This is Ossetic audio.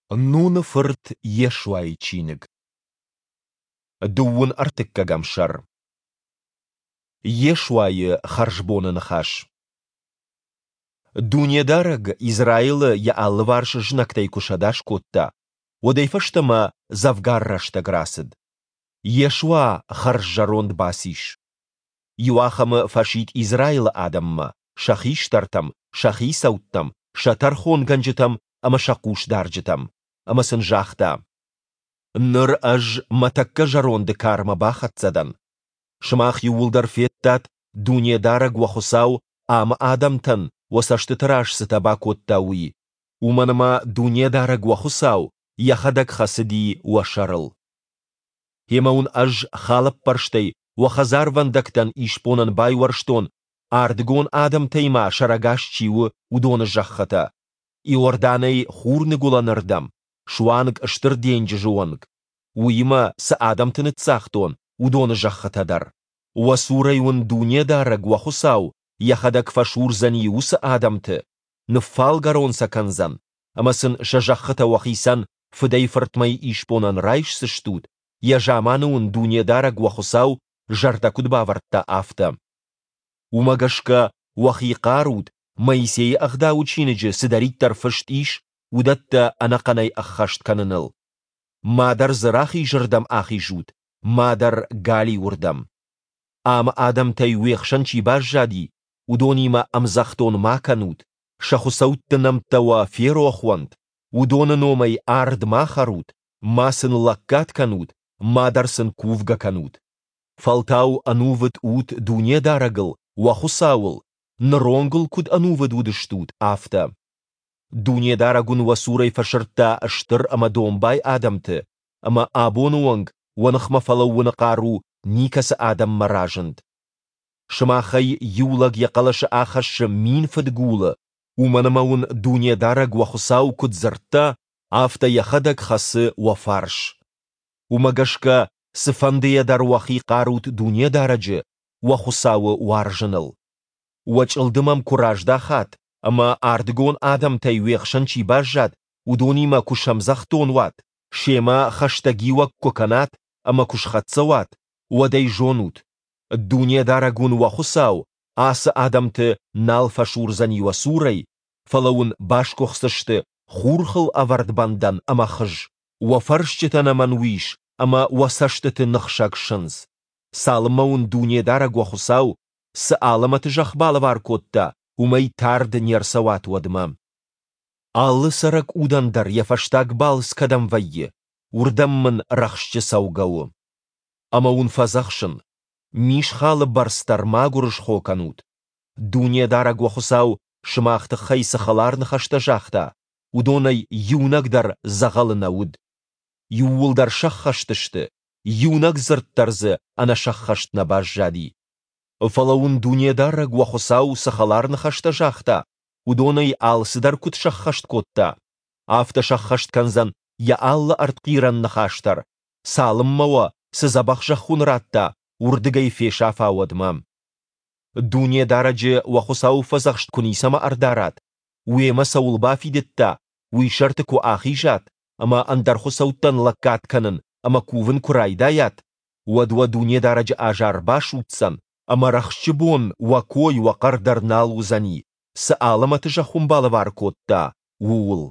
Нуны фырт Йешуайы чиныг. Дыууын ӕртыккӕгӕм сӕр. Йешуайы хӕрзбоны ныхас. Дунедарӕг Израилы йӕ алыварс знӕгтӕй куы сӕдас кодта, уӕдӕй фӕстӕмӕ дзӕвгар рӕстӕг рацыд. Йешуа хӕрззӕронд бацис. Иуахӕмы фӕсидт Израилы адӕммӕ, сӕ хистӕртӕм, сӕ хицӕуттӕм, сӕ тӕрхонгӕнджытӕм ӕмӕ сӕ хъусдарджытӕм, ӕмӕ сын загъта: Ныр ӕз мӕ тӕккӕ зӕронды кармӕ бахӕццӕ дӕн. Сымах иууылдӕр федтат, Дунедарӕг уӕ Хуыцау амы адӕмтӕн уӕ цӕстыты раз цытӕ бакодта, уый, уымӕн ӕмӕ Дунедарӕг уӕ Хуыцау Йӕхӕдӕг хӕцыди уӕ сӕрыл. Гъемӕ уын ӕз халӕппӕрстӕй уӕ хӕдзарвӕндӕгтӕн исбонӕн байуӕрстон, ардыгон адӕмтӕй ма сӕрӕгас чи у, уыдоны зӕххытӕ, Иорданӕй хурныгуылӕнырдӕм, суанг Стыр денджызы онг, уыимӕ цы адӕмты ныццагътон, уыдоны зӕххытӕ дӕр. Уӕ цурӕй уын Дунедарӕг, уӕ Хуыцау, Йӕхӕдӕг фӕсурдзӕни уыцы адӕмты, ныффалгӕрон сӕ кӕндзӕн, ӕмӕ сын сӕ зӕххытӕ уӕхицӕн фыдӕй-фыртмӕйы исбонӕн райсдзыстут, йӕ заманы уын Дунедарӕг уӕ Хуыцау зӕрдӕ куыд бавӕрдта, афтӕ. Уымӕ гӕсгӕ уӕхи хъарут, Моисейы Ӕгъдауы чиныджы цыдӕриддӕр фыст ис, уыдӕттӕ ӕнӕхъӕнӕй ӕххӕст кӕныныл. Мадӕр дзы рахизырдӕм ахизут, мадӕр галиуырдӕм. Амы адӕмтӕй уе хсӕн чи баззади, уыдонимӕ ӕмдзӕхдон ма кӕнут, сӕ хуыцӕутты нӕмттӕ уӕ ферох уӕнт, уыдоны номӕй ард ма хӕрут, ма сын лӕггад кӕнут, мадӕр сын кувгӕ кӕнут. Фӕлтау ӕнувыд ут Дунедарӕгыл, уӕ Хуыцауыл, ныронг ыл куыд ӕнувыд уыдыстут, афтӕ. Дунедарӕг уын уӕ цурӕй фӕсырдта стыр ӕмӕ домбай адӕмты, ӕмӕ абоны онг уӕ ныхмӕ фӕлӕууыны хъару никӕцы адӕммӕ разынд. Сымахӕй иу лӕг йӕ хъӕлӕсы ахӕссы мин фыдгулы, уымӕн ӕмӕ уын Дунедарӕг уӕ Хуыцау куыд дзырдта, афтӕ Йӕхӕдӕг хӕцы уӕ фарс. Уымӕ гӕсгӕ цыфӕндыйӕ дӕр уӕхи хъарут Дунедарӕджы, уӕ Хуыцауы, уарзыныл. Уӕ чъылдым ӕм куы раздахат ӕмӕ ардыгон адӕмтӕй уе хсӕн чи баззад, уыдонимӕ куы сӕмдзӕхдон уат, семӕ хӕстӕгиуӕг куы кӕнат ӕмӕ куы схӕццӕ уат, уӕд ӕй зонут, Дунедарӕг уын уӕ Хуыцау ацы адӕмты нал фӕсурдзӕни уӕ цурӕй, фӕлӕ уын басгуыхдзысты хурхыл ӕвӕрд бӕндӕн ӕмӕ хыз, уӕ фӕрсчытӕ нӕмӕн уис ӕмӕ уӕ цӕстыты ныхсӕг сындз, цалынмӕ уын Дунедарӕг уӕ Хуыцау цы алӕмӕты зӕхх балӕвар кодта, уымӕй тард не рцӕуат, уӕдмӕ. Алы цӕрӕг удӕн дӕр йӕ фӕстаг балц кӕдӕм вӕййы, уырдӕм мын рӕхсджы цӕугӕ у. Ӕмӕ уын фӕдзӕхсын, мисхалы бӕрц дӕр ма гуырысхо кӕнут. Дунедарӕг уӕ Хуыцау сымах тыххӕй цы хӕлар ныхӕстӕ загъта, уыдонӕй иунӕг дӕр дзӕгъӕлы нӕ уыд. Иууылдӕр сӕххӕст сты, иунӕг дзырд дӕр дзы ӕнӕсӕххӕст нӕ баззади. Фӕлӕ уын Дунедарӕг уӕ Хуыцау цы хӕлар ныхӕстӕ загъта, уыдонӕй алцыдӕр куыд сӕххӕст кодта, афтӕ сӕххӕст кӕндзӕн йӕ алы ӕртхъирӕн ныхас дӕр, цалынмӕ уӕ, цы дзӕбӕх зӕхх уын радта, уырдыгӕй фесафа, уӕдмӕ. Дунедарӕджы уӕ Хуыцауы фӕдзӕхст куы ницӕмӕ ӕрдарат, уемӕ цӕуыл бафидыдта, уый сӕрты куы ахизат ӕмӕ ӕндӕр хуыцӕуттӕн лӕггад кӕнын ӕмӕ кувын куы райдайат, уӕд уӕ Дунедарӕджы азар басудздзӕн, ӕмӕ рӕхджы бон уӕ кой уӕ хъӕр дӕр нал уыдзӕни, цы алӕмӕты зӕхх уын балӕвар кодта, ууыл.